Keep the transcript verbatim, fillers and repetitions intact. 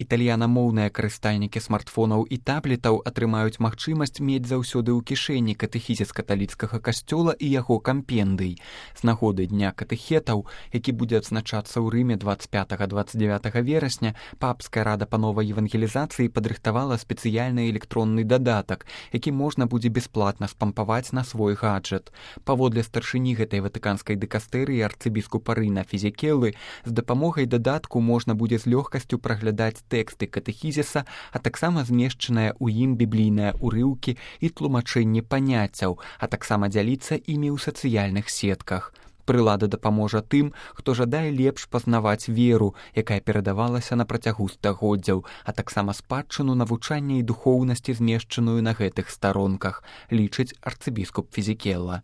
італьянамоўныя карыстальнікі смартфонаў і таблетаў атрымаюць магчымасць мець заўсёды ў кішэні катэхізіс каталіцкага касцёла і яго кампендый. З нагоды Дня катэхетаў, які будзе адзначацца ў Рыме дваццаць пятага - дваццаць дзявятага верасня, папская рада па новай евангелізацыі падрыхтавала спецыяльны электронны дадатак, які можна будзе бясплатна спампаваць на свой гаджет. Паводле старшыні гэтай ватыканскай дыкастэрыі арцыбіскупа Рына Фізікелы, з дапамогай дадатку можна будзе з лёгкасцю праглядаць тэксты катэхізіса, а таксама змешчаныя ў ім біблійныя ўрыўкі і тлумачэнні паняццяў, а таксама дзяліцца імі ў сацыяльных сетках. Прылада дапаможа тым, хто жадае лепш пазнаваць веру, якая перадавалася на працягу стагоддзяў, а таксама спадчыну навучання і духоўнасці, змешчаную на гэтых старонках, лічыць арцыбіскуп Фізікела.